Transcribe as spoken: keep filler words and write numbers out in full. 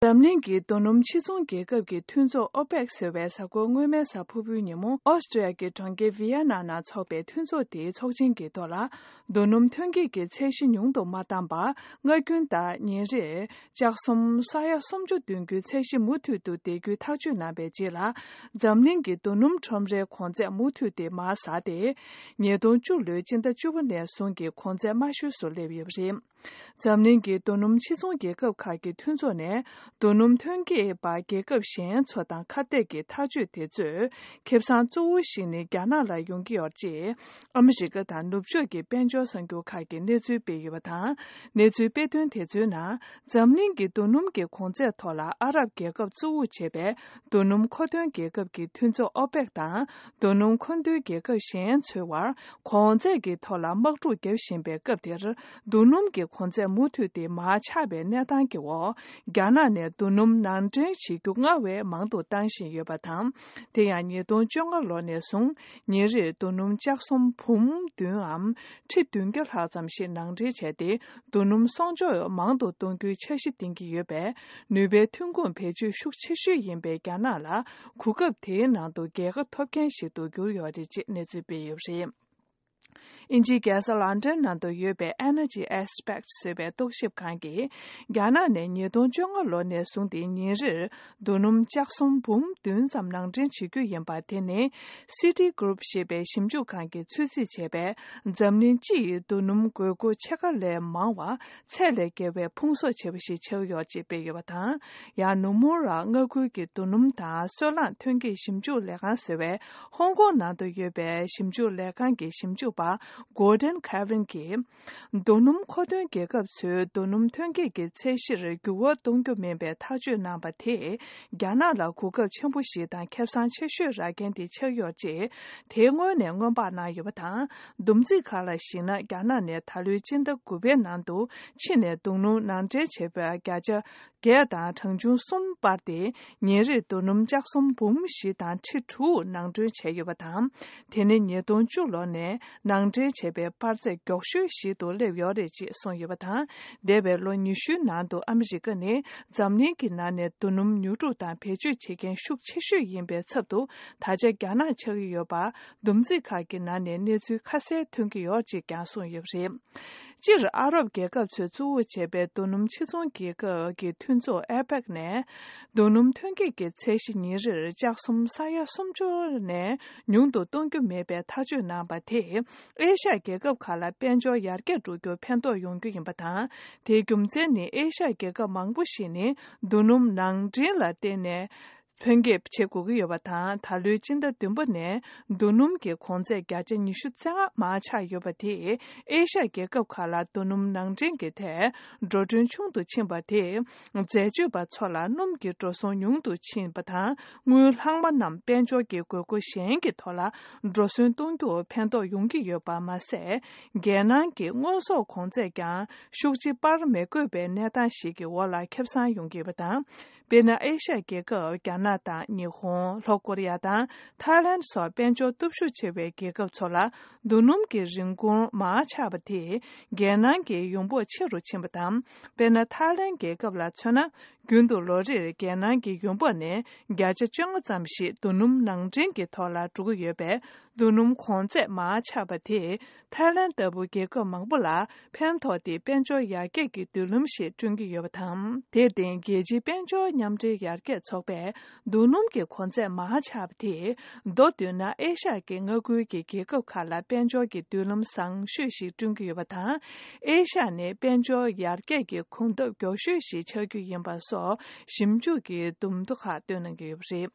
འཛམ་གླིང་གི་རྡོ་སྣུམ་ཕྱིར་ཚོང་རྒྱལ་ཁབ་ཀྱི་མཐུན་ཚོགས་ཨོ་པེག་ཟེར་བའི་གཟའ་འཁོར་སྔོན་མའི་གཟའ་ཕུར་བུའི་ཉིན་མོ་ཨོ་སི་ཀྲི་ཡ་གི་གྲོང་ཁྱེར་ཝི་ཡ་ན་ནང་འཚོགས་པའི་མཐུན་ཚོགས་དེའི་ཚོགས་ཆེན་གྱི་ཐོག་ལ། རྡོ་སྣུམ་ཐོན་སྐྱེད་ཀྱི་ཚད་གཞི་ཉུང་དུ་མ་བཏང་བར། སྔ་རྒྱུན་ལྟར་ཉིན་རེར་ལྕགས་ཟམ་ས་ཡ་སུམ་ཅུ་འདོན་རྒྱུའི་ཚད་གཞི་མུ་མཐུད་དུ་ལྡན་རྒྱུའི་ཐག་གཅོད་གནང་བའི་རྗེས་ལ། འཛམ་གླིང་གི་རྡོ་སྣུམ་ཁྲོམ་རའི་གོང་ཚད་མུ་མཐུད་དེ་མར་ཟགས་ཏེ། ཉིས་སྟོང་བཅུ་ལོའི་སྤྱི་ཟླ་བཅུ་པ་ནས་བཟུང་གི་གོང་ཚད་དམའ་ཤོས་སུ་སླེབས་ཡོད་པ་རེད། འཛམ་གླིང་གི་རྡོ་སྣུམ་ཕྱིར་ཚོང་རྒྱལ་ཁབ་ཁག་གི་མཐུན་ཚོགས་ནས། རྡོ་སྣུམ་ཐོན་སྐྱེད་པ་རྒྱལ་ཁབ་གཞན་ཚོ་དང་ཁ་གཏད་ཀྱི་ཐག་གཅོད་དེ་ཚོས་ཁེ་བཟང་གཙོ་བོ་ཞིག་ནི་རྒྱ་ནག་ལ་ཡོང་གི་ཡོད་ཅེས། ཨ་མི་རི་ཀ་དང་ནུབ་ཕྱོགས་ཀྱི་དཔལ་འབྱོར་གསར་འགྱུར་ཁག་གིས་གནས་ཚུལ་སྤེལ་ཡོད་པ་དང་། གནས་ཚུལ་སྤེལ་དོན་དེ་ཚོའི་ནང་། འཛམ་གླིང་གི་རྡོ་སྣུམ་གྱི་གོང་ཚད་ཐོག་ལ་ཨ་རབ་རྒྱལ་ཁབ་གཙོ་བོར་བྱས་པའི་རྡོ་སྣུམ་མཁོ་འདོན་རྒྱལ་ཁབ་ཀྱི་མཐུན་ཚོགས་ཨོ་པེག་དང་། རྡོ་སྣུམ་མཁོ་འདོན་རྒྱལ་ཁབ་གཞན་ཚོའི་བར་གོང་ཚད་ཀྱི་ཐོག་ལ་དམག་འཁྲུག་བརྒྱབ་བཞིན་པའི་སྐབས་དེར། རྡོ་སྣུམ་གྱི་གོང་ཚད་མུ་མཐུད་དེ་མར་ཆག་པའི་གནས་སྟངས་ཀྱི་འོག་རྒྱ་ནག་ནས་རྡོ་སྣུམ་ནང་འདྲེན་བྱེད་རྒྱུ་སྔར་བས་མང་དུ་བཏང་བཞིན་ཡོད་པ་དང་། དེ་ཡང་ཉིས་སྟོང་བཅོ་ལྔ་ལོ་ནས་བཟུང་ཉིན་རེར་རྡོ་སྣུམ་ལྕགས་ཟམ་འབུམ་བདུན་འམ་ཁྲི་བདུན་བརྒྱ་ལྷག་ཙམ་ཞིག་ནང་འདྲེན་བྱས་ཏེ། རྡོ་སྣུམ་གསོག་འཇོག་མང་དུ་གཏོང་རྒྱུའི་འཆར་གཞི་འདིང་གི་ཡོད་པས། ནུས་པའི་ཐོན་ཁུངས་བེད་སྤྱོད་ཤུགས་ཆེ་ཤོས་ཡིན་པའི་རྒྱ་ནག་ལ། གོ་སྐབས་དེའི་ནང་དུ་རྒྱལ་ཁ་ཐོབ་མཁན་ཞིག་ཏུ་གྱུར་ཡོད་རེད་ཅེས་གནས་ཚུལ་སྤེལ་ཡོད་པ་རེད། དབྱིན་ཇིའི་རྒྱལ་ས་ལན་ཀྲན་ནང་དུ་ཡོད་པའི་Energy Aspects ཟེར་བའི་རྟོག་ཞིབ་ཁང་གིས། རྒྱ་ནག་ནས་ཉིས་སྟོང་བཅོ་ལྔ་ལོ་ནས་བཟུང་སྟེ་ཉིན་རེར་རྡོ་སྣུམ་ལྕགས་ཟམ་འབུམ་བདུན་ཙམ་ནང་འདྲེན་བྱེད་རྒྱུ་ཡིན་པ། དེ་ནི་Citigroup ཞེས་པའི་ཞིབ་འཇུག་ཁང་གིས་ཚོད་རྩིས་བྱས་པའི་འཛམ་གླིང་སྤྱི་ཡི་རྡོ་སྣུམ་དགོས་མཁོ་ཕྱེད་ཀ་ལས་མང་བ། ཚད་ལས་བརྒལ་བའི་ཕུང་གསོག་ཆེ་བ་ཞིག་ཆགས་ཡོད་ཅེས་སྤེལ་ཡོད་པ་དང་། ཡང་ནུ་མུ་ར་མངའ་ཁུལ་གྱི་རྡོ་སྣུམ་དང་སོལ་རླངས་ཐོན་སྐྱེད་ཞིབ་འཇུག་ལས་ཁང་ཟེར་བས། ཧོང་ཀོང་ནང་དུ་ཡོད་པའི་ཞིབ་འཇུག་ལས་ཁང་གི་ཞིབ་འཇུག་པ་Gordon Cavan གྱིས། རྡོ་སྣུམ་མཁོ་འདོན་རྒྱལ་ཁབ་ཚོས་རྡོ་སྣུམ་ཐོན་སྐྱེད་ཀྱི་ཚད་གཞིར་འགྱུར་བ་གཏོང་རྒྱུ་མིན་པའི་ཐག་གཅོད་གནང་བ་དེས། རྒྱ་ནག་ལ་གོ་སྐབས་ཆེན་པོ་ཞིག་དང་ཁེ་བཟང་ཆེ་ཤོས་རག་མཁན་དེ་ཆགས་ཡོད་ཅེས། དེ་སྔོན་ནས་སྔོན་དཔག་གནང་ཡོད་པ་དང་། བསྡོམས་རྩིས་ཁག་ལ་གཞིགས་ན། རྒྱ་ནག་ནས་ད་ལོའི་སྤྱི་ཟླ་དགུ་པའི་ནང་དུ་ཕྱི་ནས་རྡོ་སྣུམ་ནང་འདྲེན་བྱས་པའི་བརྒྱ་ཆ་བརྒྱད་དང་གྲངས་ཆུང་གསུམ་སྤར་ཏེ། ཉིན་རེར་རྡོ་སྣུམ་ལྕགས་ཟམ་འབུམ་བཞི་དང་ཁྲི་དྲུག་ནང་འདྲེན་བྱས་ཡོད་པ་དང་། དེ་ནི་ཉིས་སྟོང་བཅུ་ལོ་ནས་ནང་འདྲེན་བྱས་པའི་སྤར་ཚད་མགྱོགས་ཤོས་ཤིག་ཏུ་སླེབས་ཡོད་རེད་ཅེས་གསུངས་ཡོད་པ་དང་། འདས་པའི་ལོ་ཉི་ཤུའི་ནང་དུ་ཨ་མི་རི་ཀ་ནི་འཛམ་གླིང་གི་ནང་ནས་རྡོ་སྣུམ་ཉོ་སྒྲུབ་དང་བེད་སྤྱོད་བྱེད་མཁན་ཤུགས་ཆེ་ཤོས་ཡིན་པའི་ཚབ་ཏུ། ད་ཆ་རྒྱ་ནག་ཆགས་ཀྱི་ཡོད་པ། བསྡོམས་རྩིས་ཁག་གི་ནང་ནས་གནས་ཚུལ་ཁ་གསལ་ཐོན་གྱི་ཡོད་ཅེས་ཀྱང་གསུངས་ཡོད་པ་རེད། སྤྱིར་ཨ་རབ་རྒྱལ་ཁབ་ཚོས་གཙོ་བོ་བྱས་པའི་རྡོ་སྣུམ་ཕྱིར་ཚོང་རྒྱལ་ཁབ་ཀྱི་མཐུན་ཚོགས་ཨེ་པེག་ནས། རྡོ་སྣུམ་ཐོན་སྐྱེད་ཀྱི་ཚད་གཞི་ཉིན་རེར་ལྕགས་ཟམ་ས་ཡ་སུམ་ཅུ་ནས་ཉུང་དུ་གཏོང་རྒྱུ་མེད་པའི་ཐག་གཅོད་གནང་བ་དེས། ཨེ་ཤ་ཡ་རྒྱལ་ཁབ་ཁག་ལ་དཔལ་འབྱོར་ཡར་རྒྱས་འགྲོ་རྒྱུར་ཕན་ཐོགས་ཡོང་རྒྱུ་ཡིན་པ་དང་། དེའི་རྒྱུ་མཚན་ནི། ཨེ་ཤ་ཡ་རྒྱལ་ཁབ་མང་པོ་ཞིག་ནི་རྡོ་སྣུམ་ནང་འདྲེན་ལ་བརྟེན་ནས། ཐོན་སྐྱེད་བྱེད་དགོས་ཀྱི་ཡོད་པ་དང་། ད་ལོའི་སྤྱི་ཟླ་བདུན་པ་ནས་རྡོ་སྣུམ་གྱི་གོང་ཚད་བརྒྱ་ཆ་ཉི་ཤུ་རྩ་ལྔ་མར་ཆག་ཡོད་པ་དེས། ཨེ་ཤ་ཡ་རྒྱལ་ཁབ་ཁག་ལ་རྡོ་སྣུམ་ནང་འདྲེན་གྱི་ཐད་འགྲོ་གྲོན་ཆུང་དུ་ཕྱིན་པ་དེས། འཛད་སྤྱོད་པ་ཚོ་ལ་སྣུམ་གྱི་འགྲོ་སོང་ཉུང་དུ་ཕྱིན་པ་དང་། དངུལ་ལྷག་མ་རྣམས་དཔལ་འབྱོར་གྱི་དགོས་མཁོ་གཞན་གྱི་ཐོག་ལ་འགྲོ་སོན་གཏོང་རྒྱུར་ཕན་ཐོགས་ཡོང་གི་ཡོད་པ་མ་ཟད། རྒྱལ་ནང་གི་དངོས་ཟོག་གོང་ཚད་ཀྱང་ཤུགས་ཆེ་སྤར་མི་དགོས་པའི་གནས་སྟངས་ཤིག་གི་འོག་ལ་ཁེ་བཟང་ཡོང་གི་ཡོད་པ་དང་། དཔེར་ན། ཨེ་ཤ་ཡ་རྒྱལ་ཁབ་རྒྱ་ནག་དང་ཉི་ཧོང་། ལྷོ་ཀོ་རི་ཡ་དང་ཐའི་ལན་སོགས་དཔལ་འབྱོར་སྟོབས་ཤུགས་ཆེ་བའི་རྒྱལ་ཁབ་ཚོ་ལ་རྡོ་སྣུམ་གྱི་རིན་གོང་མར་ཆག་པ་དེས་རྒྱལ་ནང་གི་ཡོང་འབབ་ཆེ་རུ་ཕྱིན་པ་དང་། དཔེར་ན། ཐའི་ལན་རྒྱལ་ཁབ་ལ་མཚོན་ན། རྒྱུན་དུ་ལོ་རེར་རྒྱལ་ནང་གི་ཡོང་འབབ་ནས་བརྒྱ་ཆ་བཅོ་ལྔ་ཙམ་ཞིག་རྡོ་སྣུམ་ནང་འདྲེན་གྱི་ཐོག་ལ་འགྲོ་གི་ཡོད་པས། རྡོ་སྣུམ་གོང་ཚད་མར་ཆག་པ་དེས་ཐའི་ལན་ལྟ་བུ་རྒྱལ་ཁབ་མང་པོ་ལ་ཕན་ཐོགས་ཏེ། དཔལ་འབྱོར་ཡར་རྒྱས་ཀྱི་མདུན་ལམ་ཞིག་བསྐྲུན་གྱི་ཡོད་པ་དང་། དེར་བརྟེན། རྒྱལ་སྤྱིའི་དཔལ་འབྱོར་མཉམ་འབྲེལ་ཡར་རྒྱས་ཚོགས་པས། རྡོ་སྣུམ་གྱི་གོང་ཚད་མར་ཆག་པ་དེས། མདོར་བསྡུས་ན། ཨེ་ཤ་ཡ་གི་མངའ་ཁུལ་གྱི་རྒྱལ་ཁབ་ཁག་ལ་དཔལ་འབྱོར་གྱི་མདུན་ལམ་བཟང་ཤོས་ཤིག་བསྐྲུན་གྱི་ཡོད་པ་དང་། ཨེ་ཤ་ཡ་ནི་དཔལ་འབྱོར་ཡར་རྒྱས་ཀྱི་གོམ་སྟབས་མགྱོགས་ཤོས་ཤིག་ཆགས་རྒྱུ་ཡིན་པ་སོགས་ཞིབ་འཇུག་གི་འདེམས་ཐོ་ཁག་བཏོན་གནང་གི་ཡོད་པ་རེད།